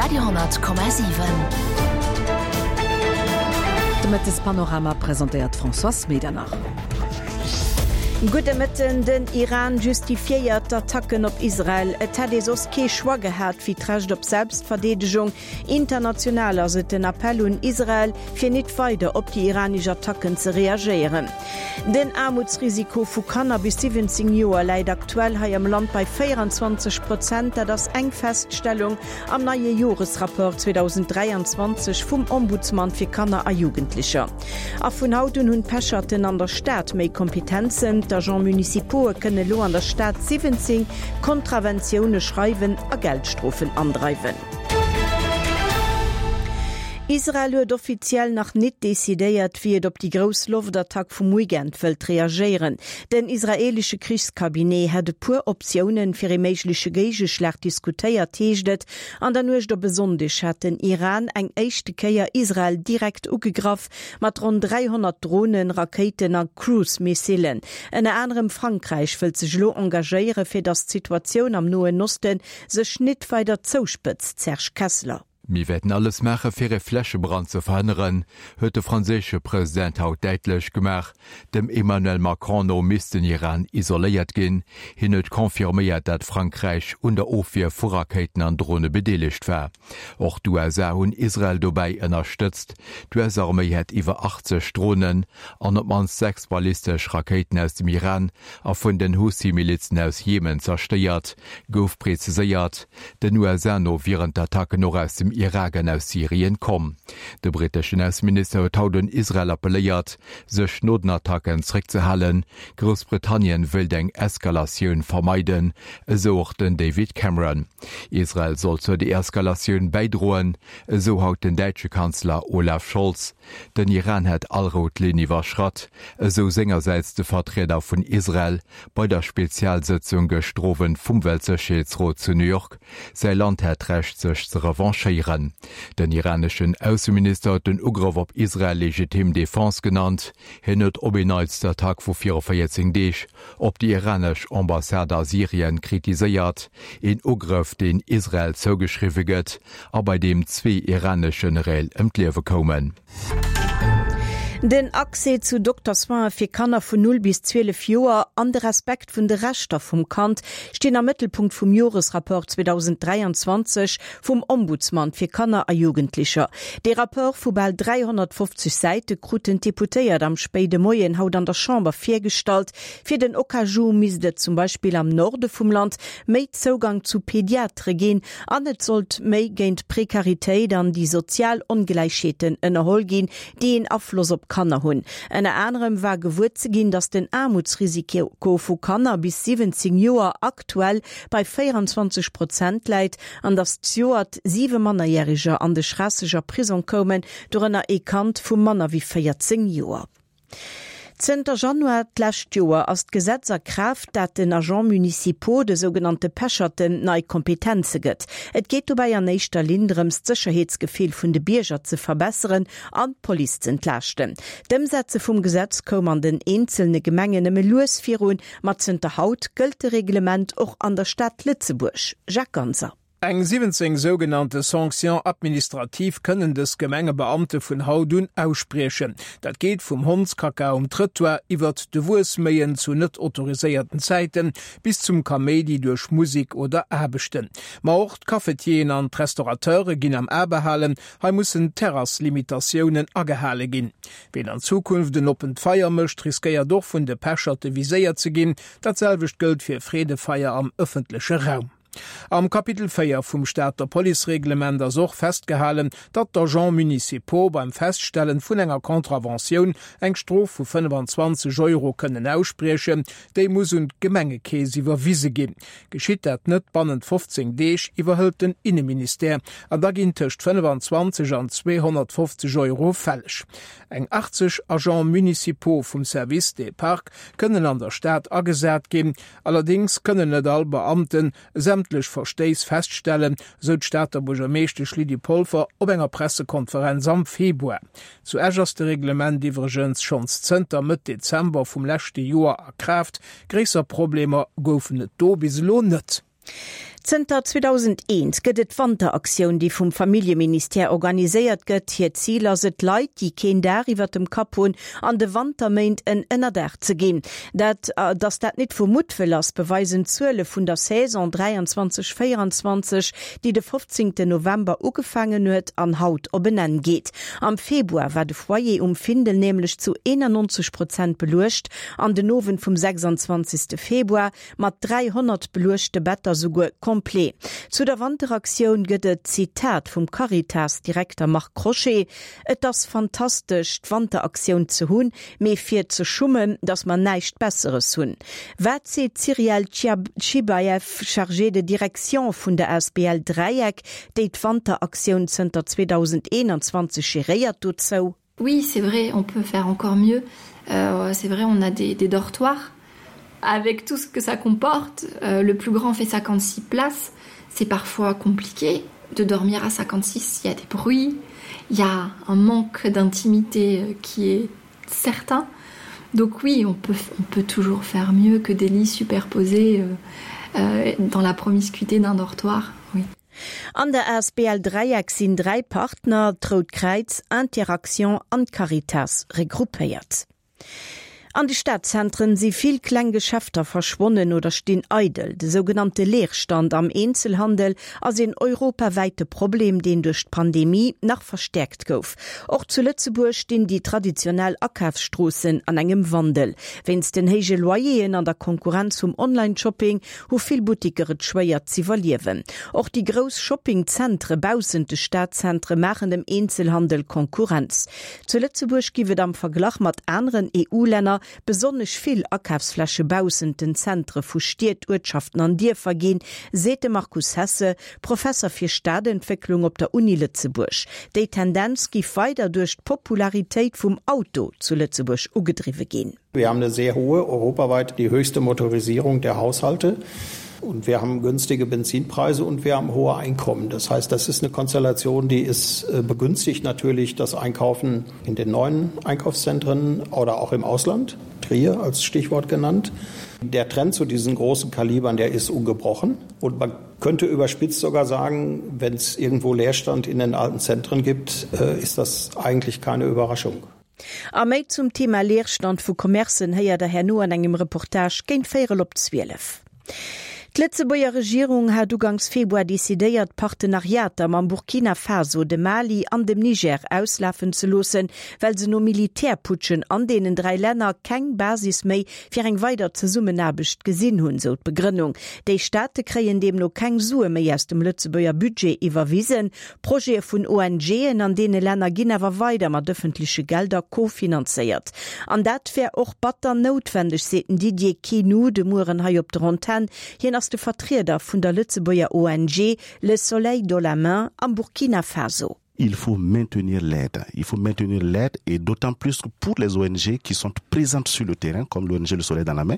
Radio,7. De Mëttespanorama presentéiert d'Françoise Medernach. Gudde Mëtten, Den Iran justifiéiert d'Attacken op Israel. Et hätt ee soss kee Choix gehat, wéi d'Recht op Selbstverdeedegung. International ass et den Appell un Israel, fir nit weider op déi iranesch Attacken ze reagéieren. Den Aarmutsrisiko vu Kanner bis 17 Joer läit aktuell hei am Land bei 24 Prozent. Dat ass eng Feststellung am neie Joresrapport 2023 vum Ombudsman fir Kanner a Jugendlecher. A vun haut un hunn d'Pecherten an der Stad méi Kompetenzen. D'Agents municipaux'e kënne lo an der Stad 17 Kontraventioune schreiwen a Geldstrofen andreiwen. Israel huet offiziell nach nit decidéiert, wéi et op déi grouss Loftattack vum Weekend wëllt reagéieren. Den israeelesche Krichscabinet hätt e puer Optiounen fir ee méigleche Géigeschlag diskutéiert, heescht et. An der Nuecht op e Sonndeg hat den Iran eng éischte Kéier Israel direkt ugegraff, mat ronn 300 Dronen, Rakéiten a Cruise-Missilen. Ënner anerem Frankräich wëllt sech elo engagéieren, fir datt d'Situatioun am Noen Oste sech nit weider zouspëtzt, Serge Kessler. Mir wäerten alles maache fir e Flächebrand ze verhënneren, huet de franséische President haut däitlech gemaach. Dem Emmanuel Macron no misst den Iran isoléiert ginn. Hien huet confirméiert, dat Frankräich un der Ofwier vu Rakéiten an Drone bedeelegt war. Och d'USA hunn Israel dobäi ënnerstëtzt. D'US-Arméi hätt iwwer 80 Dronen an op d'mannst 6 ballistesch Rakéiten aus dem Iran a vun den Houthi-Milizen aus Jemen zerstéiert, gouf preziséiert. Den USA no wieren d'Attacken och aus dem Irak an aus Syrien komm. De britteschen Ausseminister huet haut un Israel appelléiert, sech no den Attacken zréckzehalen. Groussbritannien wéilt eng Eskalatioun vermeiden, esou och den David Cameron. Israel soll zur Deeskalatioun bäidroen, esou haut den däitsche Kanzler Olaf Scholz. Den Iran hätt all rout Linn iwwerschratt, esou sengersäits de Vertrieder vun Israel bei der Spezialsëtzung gëschter Owend vum Weltsécherheetsrot zu New York. Säi Land hätt d'Recht sech ze revanchéieren. Den iraneschen Ausseminister huet den Ugrëff op Israel legitim Defense genannt. Hien huet op en Neits d'Attack vu viru 14 Deeg op déi iranesch Ambassade a Syrien kritiséiert, een Ugrëff deen Israel zougeschriwwe gëtt a bei deem zwee iranesch Generéil ëm d'Liewe koumen. Den Accès zu Doktersoine fir Kanner vun 0 bis 12 Joer an de Respekt vun de Rechter vum Kand stinn am Mëttelpunkt vum Joresrapport 2023 vum Ombudsman fir Kanner a Jugendlecher. Dee Rapport vu bal 350 Säite kruten d'Deputéiert am spéide Moien haut an der Chamber virgestallt. Fir den Okaju misst et zum Beispill am Norde vum Land méi Zougang zu Pediatere ginn An et sollt méi géint d'Prekaritéit an déi sozial Ongläichheeten ënnerholl ginn, déi een Afloss op d'Kanner hunn. Ënner anerem war gewuer ze ginn, datt den Aarmutsrisiko vu Kanner bis 17 Joer aktuell bei 24 Prozent läit an datt zejoert siwe Mannerjäreger an de Schraasseger Prisong koumen, dorënner ee Kand vu manner wéi 14 Joer. Zënter Januar d'lescht Joer ass d'Gesetz a Kraaft, dat den Agents municipaux, de sougenannte Pecherten, nei Kompetenze gëtt. Et geet dobäi an éischter Linn drëms, d'Sécherheetsgefill vun de Bierger ze verbesseren an d'Police z'entlaaschten. D'Ëmsetze vum Gesetz koum an den eenzelne Gemengen nëmme lues virun, ma zënter haut gëllt de Reglement och an der Stad Lëtzebuerg. Jacques Ganser. Eng 17 sougenannte Sanctions administratives kënnen dës Gemengebeamte vun haut un ausspriechen. Dat geet vum Hondskacka um Trëttoir iwwert de Wuesméien zu net autoriséierten Zäiten bis zum Kaméidi duerch Musek oder Aarbechten. Ma och d'Cafetieren an d'Restaurateure ginn am A behalen. Hei mussen d'Terraslimitatiounen agehale ginn. Ween an Zukunft en oppent Feier mécht, riskéiert och vun de Pecherte viséiert ze ginn. Dat selwecht gëllt fir Freedefeier am ëffentleche Raum. Am Kapitel 4 vum Stater Policereglement ass och festgehalen, datt d'Agents municipaux beim Feststellen vun enger Contraventioun eng Strof vu 25 Euro kënnen ausspriechen. Déi muss un d'Gemengekeess iwwerwise ginn. Geschitt dat net bannent 15 Deeg, iwwerhëlt den Inneministère an da ginn tëscht 25 an 250 Euro fälleg. Eng 80 Agents municipaux vum Service des Parcs kënnen an der Stad agesat ginn. Allerdéngs kënnen net all Beamte sämtlech Verstéiss feststellen, sou d'Stater Buergermeeschtesch Lydie Polfer op enger Pressekonferenz am Februar. Zu Esch ass de Reglement iwwregens schonns zënter Mëtt Dezember vum leschte Joer a Kraaft. Gréisser Problemer goufen et do bis elo net. Zënter 2001 gëtt et d'Wanteraktioun, déi vum Familljeministère organiséiert gëtt. Hiert Zil ass et, Leit, déi keen Daach iwwert dem Kapp hunn, an de Wanterméint en Ënnerdaach ze ginn. Dat, datt dat nit vu Muttwëll ass, beweisen d'Zuele vun der Saison 23, 24, déi de 15 November ugefaangen huet an haut op en Enn geet. Am Februar war de Foyer um Findel nämlech zu 91 Prozent beluecht an den Owend vum 26 Februar Mat 300 beluechte Better souguer complet. Zu der Wanteraktioun gëtt et d'Zitat vum Caritas-Direkter Marc Crochet, Et ass fantastesch, d'Wanteraktioun ze hunn, mee fir ze schummen, datt mer näischt Besseres hunn. Wat seet d'Cyrielle Chibaeff, Chargée de direction vun der asbl Dräieck, déi d'Wanteraktioun zënter 2021 geréiert, dozou? Oui, c'est vrai, on peut faire encore mieux. Euh, c'est vrai, on a des, des dortoirs avec tout ce que ça comporte. Euh, le plus grand fait 56 places. C'est parfois compliqué de dormir à 56, il y a des bruits, il y a un manque d'intimité euh, qui est certain. Donc oui, on peut, on peut toujours faire mieux que des lits superposés euh, euh, dans la promiscuité d'un dortoir. Oui. An der asbl Dräieck sinn 3 Partner, d'Rout Kräiz, Interaction an d'Caritas, regroupéiert. An de Stadzentren si vill kleng Geschäfter verschwonnen oder stinn eidel. De sougenannte Leerstand am Eenzelhandel ass een europawäite Problem, deen duerch d'Pandemie nach verstäerkt gouf. Och zu Lëtzebuerg stinn déi traditionell Akafsstroossen an engem Wandel. Wéinst den héije Loyeren an der Konkurrenz vum Online-Shopping hu vill Buttiker et schwéier z'iwwerliewen. Och déi grouss Shoppingzentre baussent de Stadzentre maachen dem Eenzelhandel Konkurrenz. Zu Lëtzebuerg giff et am Verglach mat aneren EU-Länner besonnesch vill Akafsfläche baussent den Zentre vu Stied, Uertschaften an Dierfer ginn, seet de Markus Hesse, Professer fir Stadentwécklung op der Uni Lëtzebuerg. Déi Tendenz giff weider duerch d'Popularitéit vum Auto zu Lëtzebuerg ugedriwwe ginn. Wir haben eine sehr hohe, europaweit die höchste Motorisierung der Haushalte. Und wir haben günstige Benzinpreise und wir haben hohe Einkommen. Das heißt, das ist eine Konstellation, die ist äh, begünstigt natürlich das Einkaufen in den neuen Einkaufszentren oder auch im Ausland, Trier als Stichwort genannt. Der Trend zu diesen großen Kalibern, der ist ungebrochen. Und man könnte überspitzt sogar sagen, wenn es irgendwo Leerstand in den alten Zentren gibt, äh, ist das eigentlich keine Überraschung. A méi zum Thema Leerstand vu Commercen héiert der herno an engem Reportage géint véierel op 12. D'Lëtzebuerger Regierung hat ugangs Februar decidéiert, d'Partenariater mam Burkina Faso, dem Mali an dem Niger auslafen ze loossen, well se no Militärputschen an deenen 3 Länner keng Basis méi fir eng weider Zesummenaarbecht gesinn hunn, sou d'Begrënnung. Déi Staate kréien deemno keng Sue méi aus dem Lëtzebuerger Budget iwwerwisen. Projete vun ONGen an deene Länner ginn awer weider mat ëffentleche Gelder kofinanzéiert. An dat wär och batter noutwendeg, seet den Didier Quenou de Mueren hei op der Antenn. Hien ass de Vertrieder vun der Lëtzebuerger ONG Le Soleil dans la Main am Burkina Faso. Il faut maintenir l'aide. Il faut maintenir l'aide et d'autant plus pour les ONG qui sont présentes sur le terrain, comme l'ONG Le Soleil dans la main.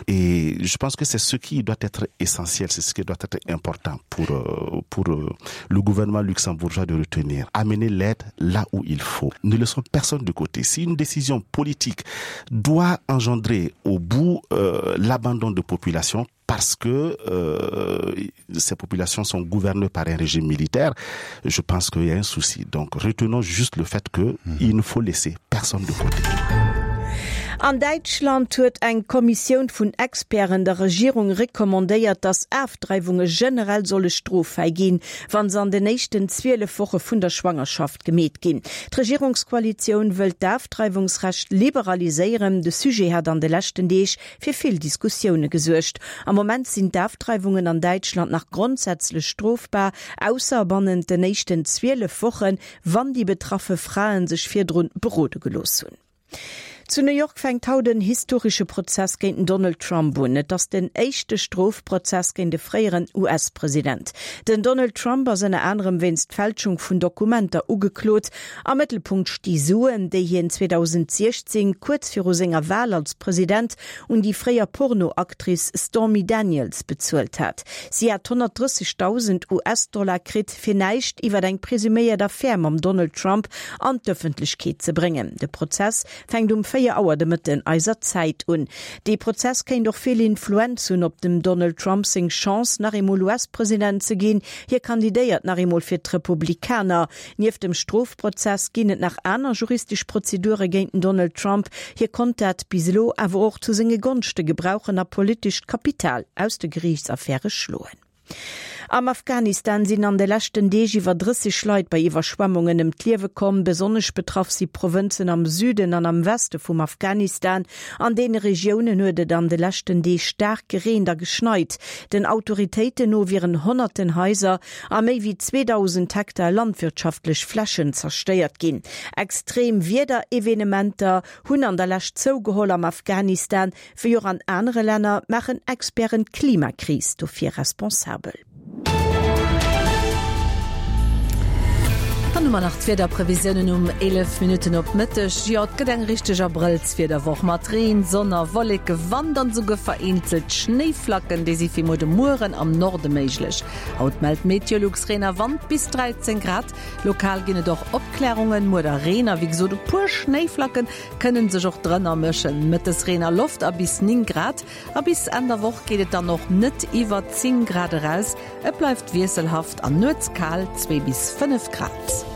Et je pense que c'est ce qui doit être essentiel, c'est ce qui doit être important pour, euh, pour euh, le gouvernement luxembourgeois de retenir. Amener l'aide là où il faut. Ne laissons personne de côté. Si une décision politique doit engendrer au bout euh, l'abandon de population, parce que euh, ces populations sont gouvernées par un régime militaire, je pense qu'il y a un souci. Donc retenons juste le fait qu'il mmh. ne faut laisser personne de côté. An Däitschland huet eng Kommissioun vun Experten der Regierung recommandéiert, datt Afdreiwunge generell solle stroffäi ginn, wa se an den éischten 12 Woche vun der Schwangerschaft gemeet ginn. D'Regierungskoalitioun wëllt d'Afdreiwungsrecht liberaliséieren. De Sujet hat an de leschten Deeg fir vill Diskussioune gesuergt. Am Moment sinn d'Afdreiwungen an Däitschland nach grondsätzlech strofbar, ausser bannent den éischten 12 Wochen, wann déi betraffe Frae sech virdrun berode gelooss hunn. Zu New York fänkt haut en historesche Prozess géint den Donald Trump un. Et ass den éischte Strofprozess géint e fréieren US-President. Den Donald Trump ass ënner anerem wéinst Fälschung vun Dokumenter ugeklot. Am Mëttelpunkt sti Suen, déi hien 2016, kuerz viru senger Wal als President, un déi fréier Porno-Actrice Stormy Daniels bezuelt hat. Si hat 130.000 US-Dollar kritt, fir näischt iwwer eng presuméiert Affär mam Donald Trump an d'Ëffentlechkeet ze bréngen. De Prozess fänkt um 4. 4 Auer de Mëtten eiser Zäit un. Dee Prozess kéint och vill Influenz hunn op dem Donald Trump seng Chance, nach eemol US-President ze ginn. Hie kandidéiert nach eemol fir d'Republikaner. Nieft dem Strofprozess ginn et nach aner juristesch Prozedure géint den Donald Trump. Hie konnt dat bis elo awer och zu senge Gonschte gebrauchen a politescht Kapital aus de Geriichtsaffäre schloen. Am Afghanistan sinn an de leschten Deeg iwwer 30 Leit bei Iwwerschwemmungen ëm d'Liewe komm. Besonnesch betraff si Provënzen am Süden an am Weste vum Afghanistan. An deene Regiounen huet et an de leschten Deeg staark gereent a geschneit. Den Autoritéiten no wieren honnerten Haiser a méi wéi 2.000 Hektar landwirtschaftlech Flächen zerstéiert ginn. Extrem Wiederevenementer hunn an der Lescht zougeholl am Afghanistan. Wéi och an anere Länner maachen Experten d'Klimakris dofir responsabel. Dann hu mer nach d'Wiederprevisiounen um 11 Minutten op Mëtteg. Jo, et gëtt eng richteg Abrëllswiederwoch mat Reen, Sonn a Wolleke, Wand an esouguer vereenzelt Schnéiflacken. Déi si fir muer de Mueren am Norde méiglech. Haut mellt Meteolux Reen a Wand bis 13 Grad. Lokal ginn et och Opklärungen, muer da Reen a wéi gesot e puer Schnéiflacken. Kënnen sech och drënner mëschen. Mëttes Reen a Loft a bis 9 Grad a bis Enn der Woch geet et dann och net iwwer 10 Grad eraus. Et bleift wiesselhaft an nuets kal, 2 bis 5 Grad.